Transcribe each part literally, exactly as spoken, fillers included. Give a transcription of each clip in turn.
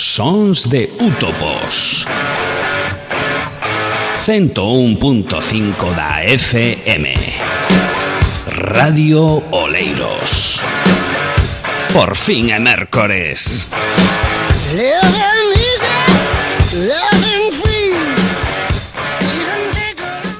Sons de Útopos. ciento un punto cinco da F M. Radio Oleiros. Por fin é mércores.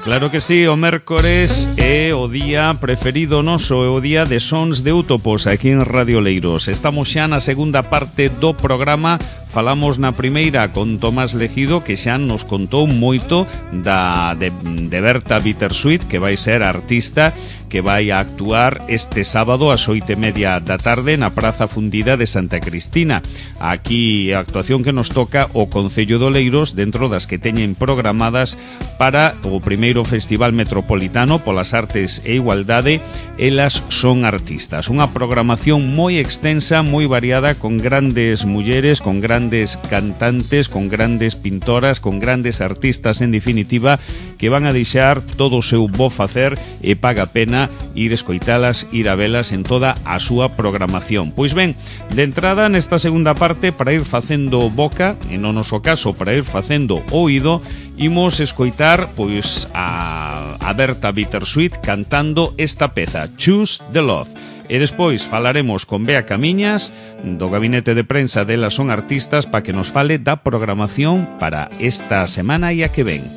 Claro que sí, o mércores é o día preferido noso, é o día de Sons de Útopos aquí en Radio Oleiros. Estamos xa na segunda parte do programa. Falamos na primeira con Tomás Legido, que xa nos contou moito da, de, de Berta Bittersweet, que vai ser artista, que vai a actuar este sábado ás oito e media da tarde na Praza Fundida de Santa Cristina. Aquí a actuación que nos toca o Concello de Oleiros dentro das que teñen programadas para o primeiro Festival Metropolitano polas Artes e Igualdade. Elas son artistas. Unha programación moi extensa, moi variada, con grandes mulleres, con grandes grandes cantantes, con grandes pintoras, con grandes artistas, en definitiva, que van a deixar todo o seu bo facer e paga pena ir escoitalas, ir a velas en toda a súa programación. Pois ben, de entrada nesta segunda parte, para ir facendo boca, en o noso caso para ir facendo oído, imos escoitar pois a, a Berta Bittersweet cantando esta peza, Choose the Love. E despois falaremos con Bea Camiñas, do gabinete de prensa delas son artistas, para que nos fale da programación para esta semana e a que ven.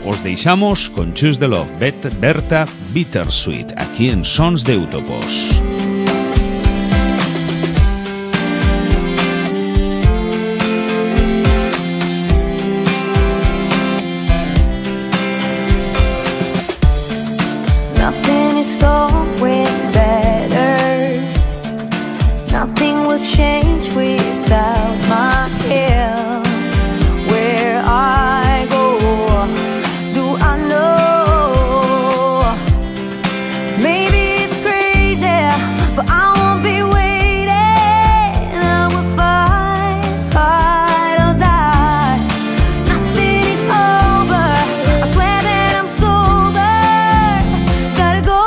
Os deixamos con Choose the Love, Berta Bittersweet, aquí en Sons de Útopos. Nothing is going better. Nothing will change without my help. Where I go, do I know? Maybe it's crazy, but I won't be waiting. I will fight, fight or die. Nothing is over. I swear that I'm sober. Gotta go,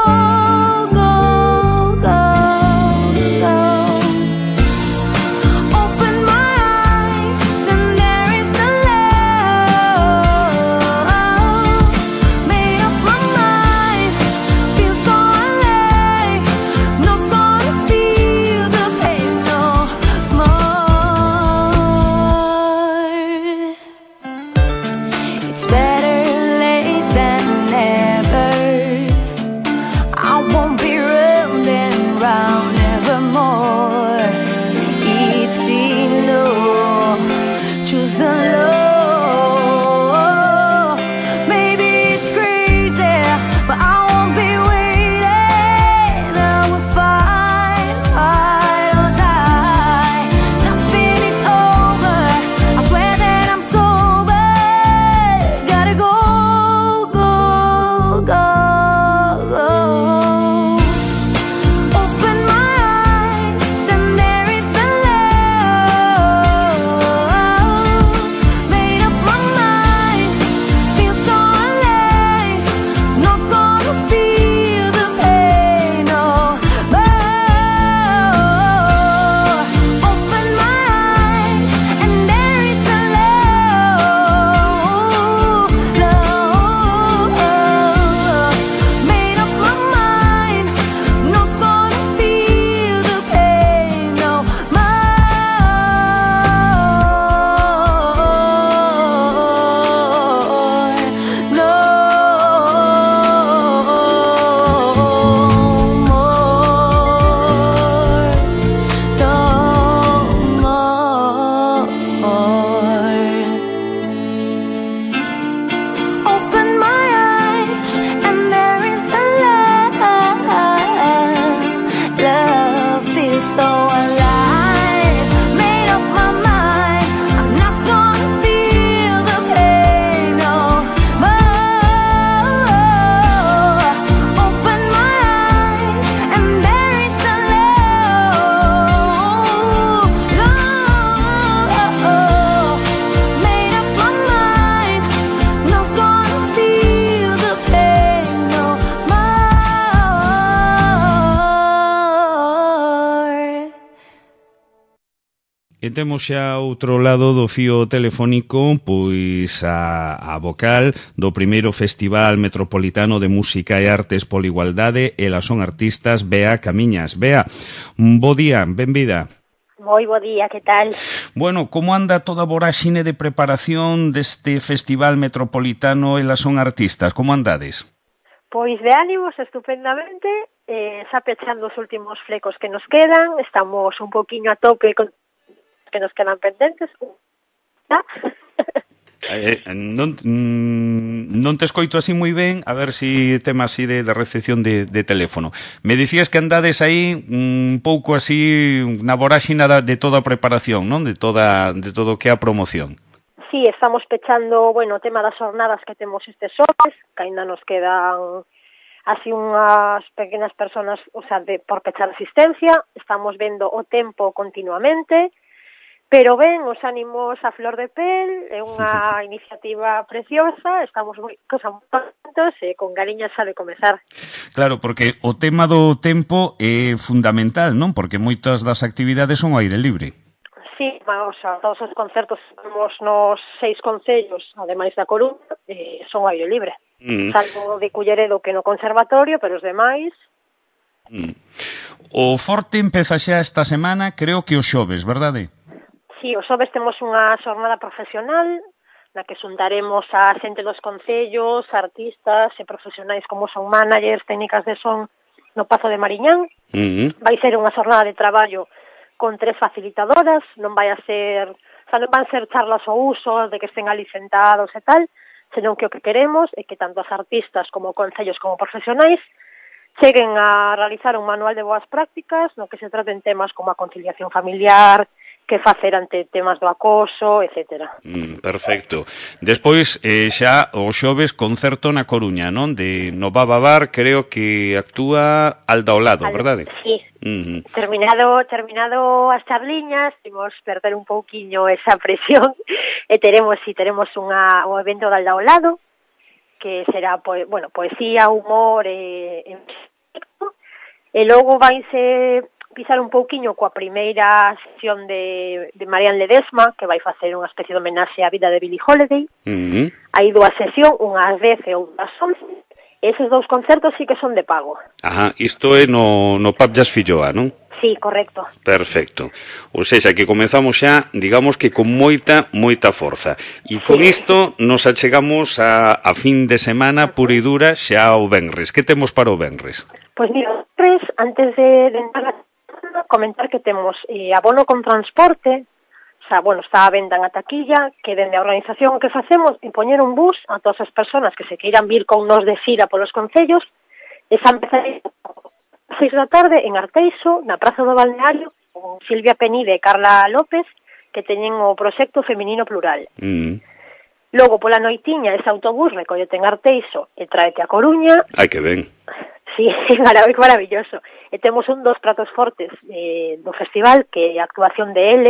go, go, go. Open my eyes and there is the love. Made up my mind, feel so alive. Not gonna feel the pain no more. It's better late than never. I won't be running round evermore. It's enough. Choose the love. Maybe it's crazy, but I won't be waiting. I will fight, fight or die. Nothing is over. I swear that I'm sober. Gotta go, go, go, go. Open my eyes and there is the love. Made up my mind, feel so alive. Not gonna feel the pain no more. Open my eyes and there is a love, love. Made up my mind, not gonna feel the pain no more, no more. Open my eyes and there is a love. Love feels so alive. Made up my mind, I'm not gonna feel the pain no more. Open my eyes and there is a love, love. Made up my mind, not gonna feel the pain no more. E temos xa outro lado do fío telefónico pois a, a vocal do primeiro Festival Metropolitano de Música e Artes pola Igualdade. Elas son artistas, Bea Camiñas. Bea, bo día, benvida. Moi bo día, que tal? Bueno, como anda toda a voráxine de preparación deste Festival Metropolitano Elas son artistas? Como andades? Pois de ánimos estupendamente, eh, xa pechando os últimos flecos que nos quedan, estamos un poquinho a tope con que nos quedan pendentes. eh, non, non te escoito así moi ben, a ver se si tema así de, de recepción de, de teléfono. Me dicías que andades aí un pouco así na voráxina de toda a preparación, non? De toda de todo o que é a promoción. Sí, estamos pechando, bueno, o tema das jornadas que temos estes xoves, que ainda nos quedan así unhas pequenas personas, o sea, de, por pechar asistencia. Estamos vendo o tempo continuamente, pero ben, os ánimos a flor de pel, é unha iniciativa preciosa, estamos moi contentos e con galiñas xa de comezar. Claro, porque o tema do tempo é fundamental, non? Porque moitas das actividades son ao aire libre. Sí, o sea, todos os concertos que temos nos seis concellos, ademais da Coruña, eh, son ao aire libre. Mm. Salvo de Culleredo que no conservatorio, pero os demais... Mm. O forte empeza xa esta semana, creo que o xoves, verdade? Sí, os xoves temos unha xornada profesional na que xuntaremos a xente dos concellos, artistas e profesionais como son managers, técnicas de son no Pazo de Mariñán. Mm-hmm. Vai ser unha xornada de traballo con tres facilitadoras, non vai a ser, o sea, non van ser charlas ao uso de que estén ali sentados e tal, senón que o que queremos é que tanto as artistas como concellos como profesionais cheguen a realizar un manual de boas prácticas no que se traten temas como a conciliación familiar, que facer ante temas do acoso, etcétera. Mm, perfecto. Despois, eh, xa o xoves concerto na Coruña, non? De no Baba Bar, creo que actúa Alda Olado, Al, verdade? Sí. Mm-hmm. Terminado terminado as charliñas, imos perder un pouquiño esa presión e teremos, si, teremos unha, un evento de Alda Olado, que será, pues, bueno, poesía, humor e, e, e logo vaise pisar un pouquiño coa primeira sesión de, de Marian Ledesma, que vai facer unha especie de homenaxe á vida de Billie Holiday. Uh-huh. Hai dúas sesión, unhas dez e outras once. Eses dous concertos sí que son de pago. Ajá, isto é no, no Pub Jazz Filloa, non? Sí, correcto. Perfecto. Ou seja, que comezamos xa, digamos que con moita, moita forza. E con sí. Isto nos achegamos a, a fin de semana pura e dura xa o venres. Que temos para o venres? Pois mira, venres, antes de, de entrar a comentar que temos eh, abono con transporte, o sea, bueno, está a venda na taquilla, que dende a organización que facemos é poñer un bus a todas as persoas que se queiran vir con nos de xira polos concellos, e xa empezaré a seis da tarde en Arteixo, na Praza do Balneario, con Silvia Penide e Carla López, que teñen o proxecto Feminino Plural. Mm. Logo, pola noitiña, ese autobús recollete en Arteixo e traete a Coruña. Ai, que ben. Sí, maravilloso. E temos un dos pratos fortes eh, do festival, que é a actuación de L,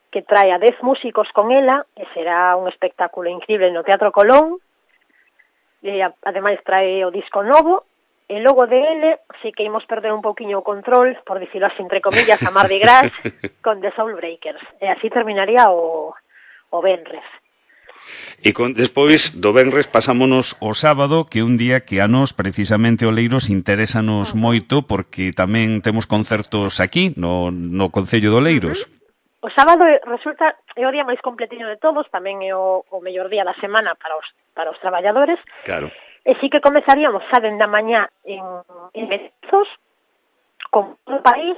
que trae a dez músicos con ela, e será un espectáculo increíble no Teatro Colón. E, ademais, trae o disco novo, e logo de L, sí que imos perder un pouquiño o control, por dicirlo así, entre comillas, a Mardi Gras, con The Soul Breakers. E así terminaría o, o venres. E con, despois do venres pasámonos o sábado, que é un día que a nós, precisamente o Leiros, interésanos moito, porque tamén temos concertos aquí, no, no Concello do Leiros. O sábado resulta é o día máis completiño de todos, tamén é o, o mellor día da semana para os, para os traballadores. Claro. E sí que comezaríamos xa dende a mañá en, en Bezos, con todo o país,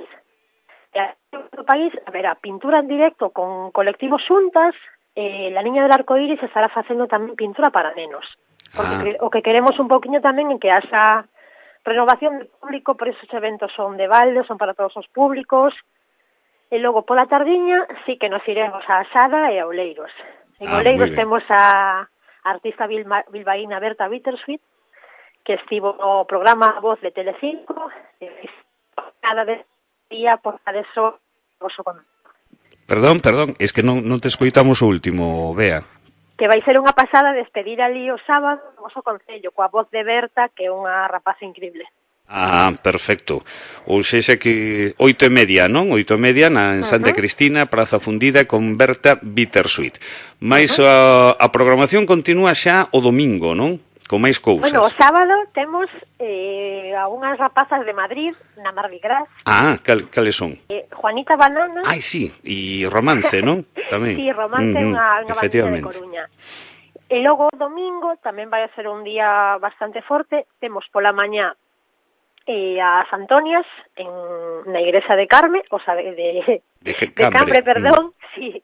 e a todo o país, a ver, a pintura en directo con colectivos xuntas. Eh, la Niña del Arco Iris estará facendo tamén pintura para nenos, porque ah. o que queremos un poquinho tamén é que haxa renovación de público, por esos eventos son de balde, son para todos os públicos. E logo pola tardiña sí que nos iremos a Asada e a Oleiros. En ah, Oleiros temos a artista bilba, bilbaína Berta Bittersweet, que estivo no programa Voz de Telecinco, e cada día por eso oso con Perdón, perdón, es que non, non te escoitamos o último, Bea. Que vai ser unha pasada despedir ali o sábado o noso concello, coa voz de Berta, que é unha rapaza increíble. Ah, perfecto. Ou sexa que oito e media, non? Oito e media na en Santa Uh-huh. Cristina, Praza Fundida con Berta Bittersweet. Mais Uh-huh. a, a programación continúa xa o domingo, non? Con máis cousas. Bueno, o sábado temos eh, a unhas rapazas de Madrid, na Mardi Gras, Ah, cal, cales son? eh, Juanita Banana. Ai, sí, e Romance, non? Tamén. Sí, Romance é Ujú, unha, unha bandita de efectivamente. Coruña. E logo o domingo tamén vai a ser un día bastante forte. Temos pola mañá eh, as Antonias en, na igrexa de Carme, o sea, de, de, De que- de Cambre, Cambre, perdón, sí.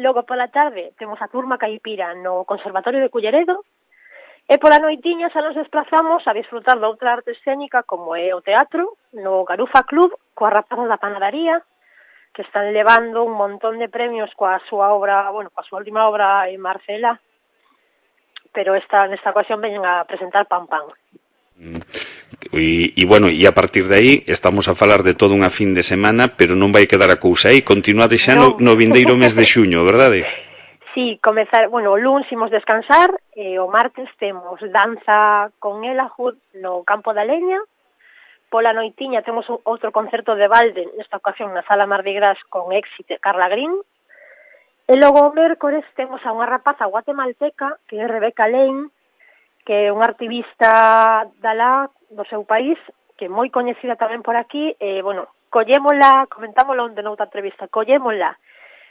Logo pola tarde temos a turma caipira no Conservatorio de Culleredo. E pola noitiña xa nos desplazamos a disfrutar de outra arte escénica como é o teatro no Garufa Club coas rapazas da panadería, que están levando un montón de premios coa súa obra, bueno, coa súa última obra en Marcela, pero esta nesta ocasión veñen a presentar Pan Pan. E, e bueno, e a partir de aí estamos a falar de toda unha fin de semana, pero non vai quedar a cousa aí, continuade xa no, Non. no vindeiro mes de xuño, verdade? Sí, comezar, bueno, o luns imos descansar, e o martes temos danza con Ela Hood no Campo da Leña. Pola noitiña temos un, outro concerto de balde, nesta ocasión na Sala Mardi Gras con Éxito Carla Green. E logo o mércores temos a unha rapaza guatemalteca, que é Rebeca Lane, que é unha activista da do seu país, que é moi coñecida tamén por aquí, e, bueno, collémola, comentámoslo onde noutra entrevista, collémola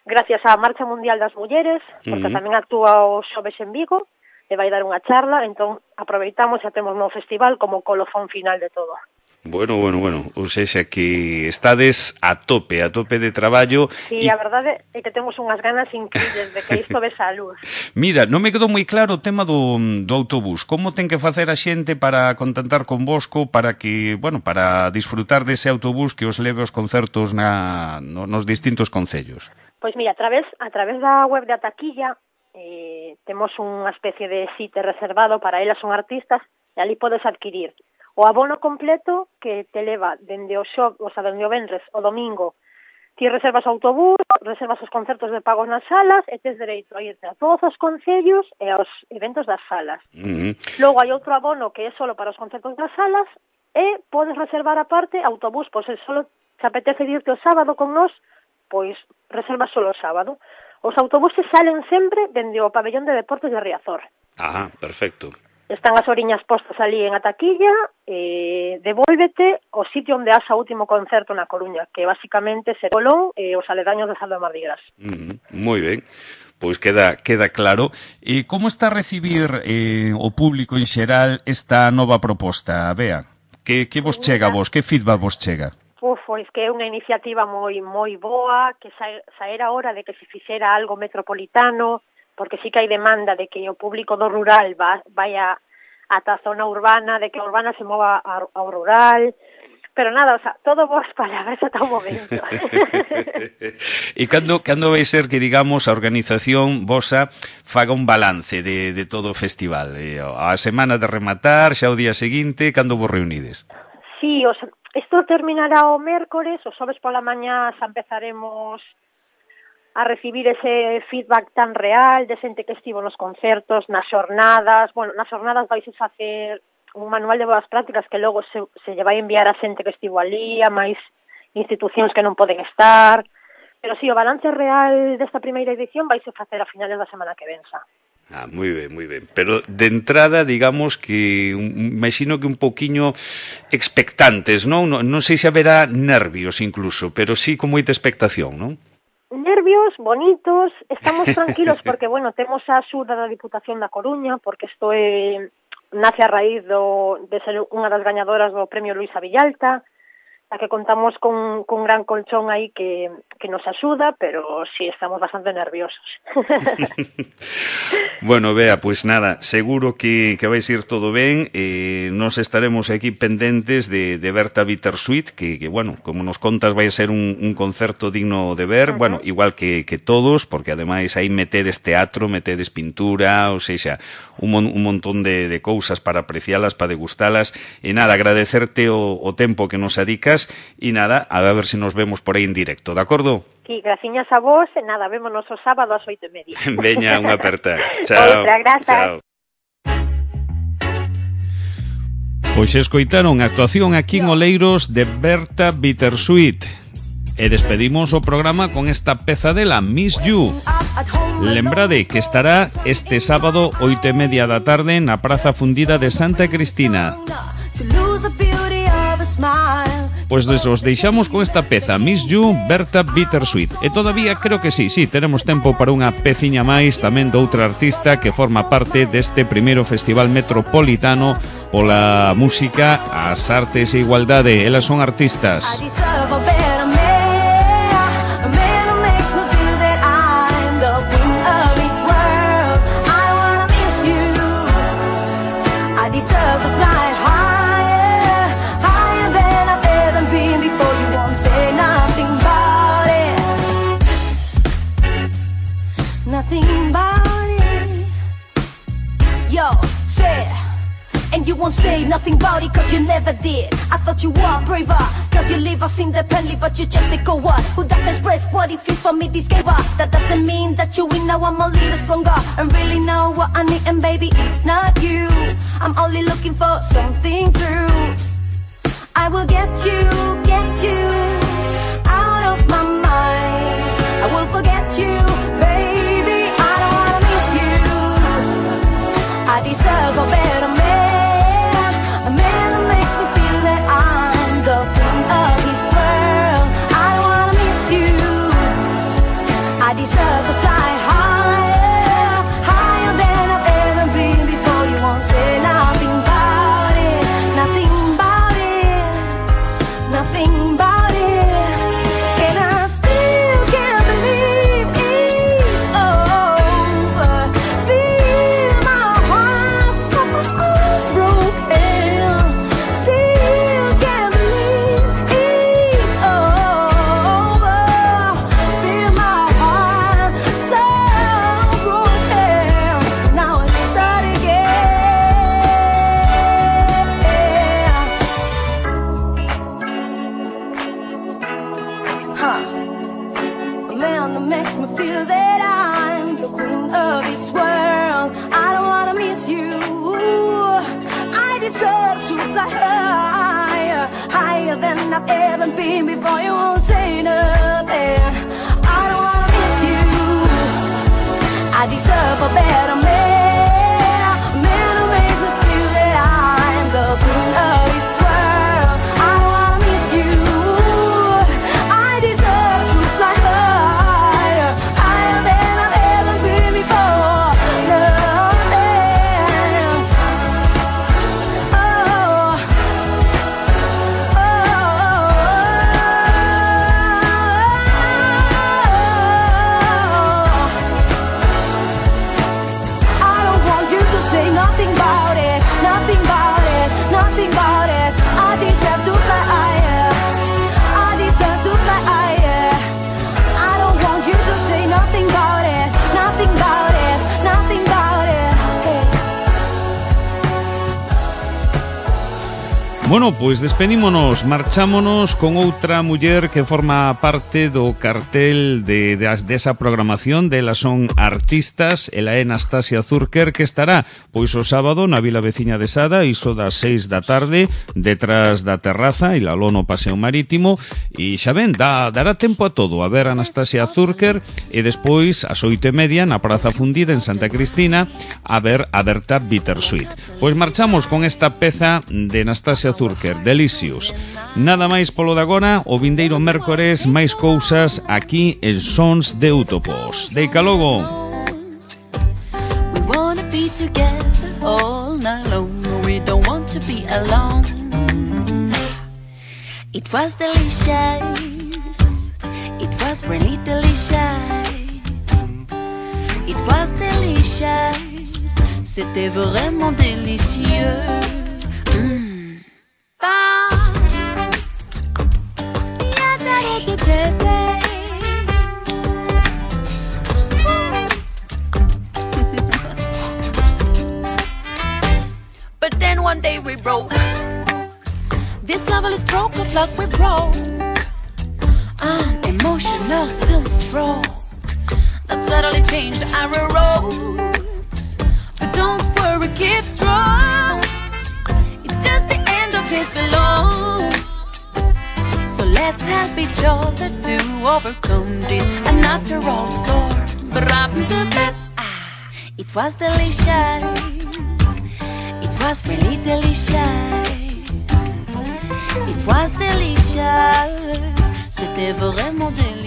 gracias á Marcha Mundial das Mulleres, porque Ujú. tamén actúa o xoves en Vigo, e vai dar unha charla, entón aproveitamos e temos no festival como colofón final de todo. Bueno, bueno, bueno, ou sexa que estades a tope, a tope de traballo. Sí, e... a verdade é que temos unhas ganas increíbles de que isto ves a luz. Mira, non me quedou moi claro o tema do, do autobús. Como ten que facer a xente para contactar convosco para que, bueno, para disfrutar dese autobús que os leve aos concertos na, no, nos distintos concellos? Pois mira, a través, a través da web de Ataquilla eh, temos unha especie de sitio reservado para elas, son artistas, e ali podes adquirir o abono completo que te leva dende o xo, o sea, dende o venres o domingo. Ti reservas o autobús, reservas os concertos de pagos nas salas e tes dereito a irte a todos os concellos e aos eventos das salas. Uh-huh. Logo hai outro abono que é solo para os concertos das salas e podes reservar aparte autobús, pois se solo te apetece irte o sábado con nós, pois reservas solo o sábado. Os autobuses salen sempre dende o pabellón de deportes de Riazor. Ah, perfecto. Están as oriñas postas ali en Ataquilla, e devuélvete ao sitio onde has o último concerto na Coruña, que basicamente é Colón e os aledaños de Saldo de Mardi Gras. Uh-huh. Moi ben. Pois queda queda claro. E como está a recibir eh, o público en xeral esta nova proposta, Bea? Que, que vos chega a vos? Que feedback vos chega? Uf, pois que é unha iniciativa moi moi boa, que xa, xa era hora de que se fixera algo metropolitano, porque sí que hai demanda de que o público do rural va, vaya ata a zona urbana, de que a urbana se mova ao rural, pero nada, o sea, todo boas palabras ata o momento. E cando, cando vai ser que, digamos, a organización vosa faga un balance de, de todo o festival? E, a semana de rematar, xa o día seguinte, cando vos reunides? Sí, o sea, isto terminará o mércores, o xoves pola mañá xa empezaremos a recibir ese feedback tan real de xente que estivo nos concertos, nas xornadas. Bueno, nas xornadas vais a facer un manual de boas prácticas que logo se, se lle vai enviar a xente que estivo ali, a máis institucións que non poden estar. Pero sí, o balance real desta primeira edición vais a facer a finales da semana que venza. Ah, moi ben, moi ben. Pero de entrada, digamos que un, imagino que un poquiño expectantes, non? Non, non sei se haberá nervios incluso, pero sí con moita expectación, non? Nervios, bonitos, estamos tranquilos porque, bueno, temos a axuda da Diputación da Coruña, porque isto é, nace a raíz do, de ser unha das gañadoras do Premio Luisa Villalta, a que contamos con, con un gran colchón aí que, que nos axuda, pero sí, estamos bastante nerviosos. Bueno, Bea, pois pues nada, seguro que, que vais ir todo ben, eh, nos estaremos aquí pendentes de, de Berta Bittersweet, que, que, bueno, como nos contas vai ser un, un concerto digno de ver, uh-huh. Bueno, igual que, que todos, porque ademais aí metedes teatro, metedes pintura, ou seja, un, mon, un montón de, de cousas para aprecialas, para degustalas, e nada, agradecerte o, o tempo que nos adicas. E nada, a ver se nos vemos por aí en directo, de acordo? Sí, graciñas a vos, e nada, vémonos o sábado ás oito e media. Veña, unha aperta. Chao. Outra, grazas. Chao. Pois escoitaron a actuación aquí en Oleiros de Berta Bittersweet. E despedimos o programa con esta peza dela, Miss You. Lembrade que estará este sábado oito e media da tarde na Praza Fundida de Santa Cristina. Pois pues os deixamos con esta peza, Miss You, Berta Bittersweet. E todavía creo que sí, sí, tenemos tempo para unha peciña máis tamén de outra artista que forma parte deste primeiro Festival Metropolitano pola música, as artes e igualdade. Elas son artistas. And you won't say nothing about it cause you never did. I thought you were braver cause you leave us independently, but you just a coward who doesn't express what it feels for me, this gave up. That doesn't mean that you win, now I'm a little stronger and really know what I need, and baby it's not you. I'm only looking for something true. I will get you, get you out of my mind. I will forget you, baby, I don't wanna miss you. I deserve a better man. I deserve to fly higher, higher than I've ever been before. You won't say nothing about it, nothing about it, nothing about it. And I still can't believe it's over. Feel my heart so broken. Still can't believe it's over. Feel my than I've ever been before. You won't say nothing. I don't wanna miss you. I deserve a better man, a man who makes me feel that I'm the queen of this world. I don't wanna miss you. I deserve to fly higher, higher than I've ever been before. Nothing. Oh. Say nothing about it, nothing about it, nothing about it. I deserve to fly higher, I deserve to fly higher. I don't want you to say nothing about it, nothing about it, nothing about it. Hey. Bueno, pois despedímonos, marchámonos con outra muller que forma parte do cartel de, de desa programación. Delas son artistas. Ela é Nastasia Zurker, que estará pois o sábado na vila veciña de Sada, iso das seis da tarde, detrás da terraza e la lono paseo marítimo. E xa ven, dá, dará tempo a todo a ver a Nastasia Zurker, e despois ás oito e media na Praza Fundida en Santa Cristina a ver a Berta Bittersweet. Pois marchamos con esta peza de Nastasia Zurker, Delicious. Nada máis polo de agora, o vindeiro mércores máis cousas aquí en Sons de Útopos. Deica logo. We wanna be together all night long. We don't want to be alone. It was delicious. It was really delicious. It was delicious. C'était vraiment délicieux. Mm. But then one day we broke. This lovely stroke of luck we broke. An emotional sunstroke that suddenly changed our roads. But don't worry, keep strong. It's just the kiss below. So let's help each other to overcome this unnatural storm. Ah, it was delicious. It was really delicious. It was delicious. C'était vraiment délicieux.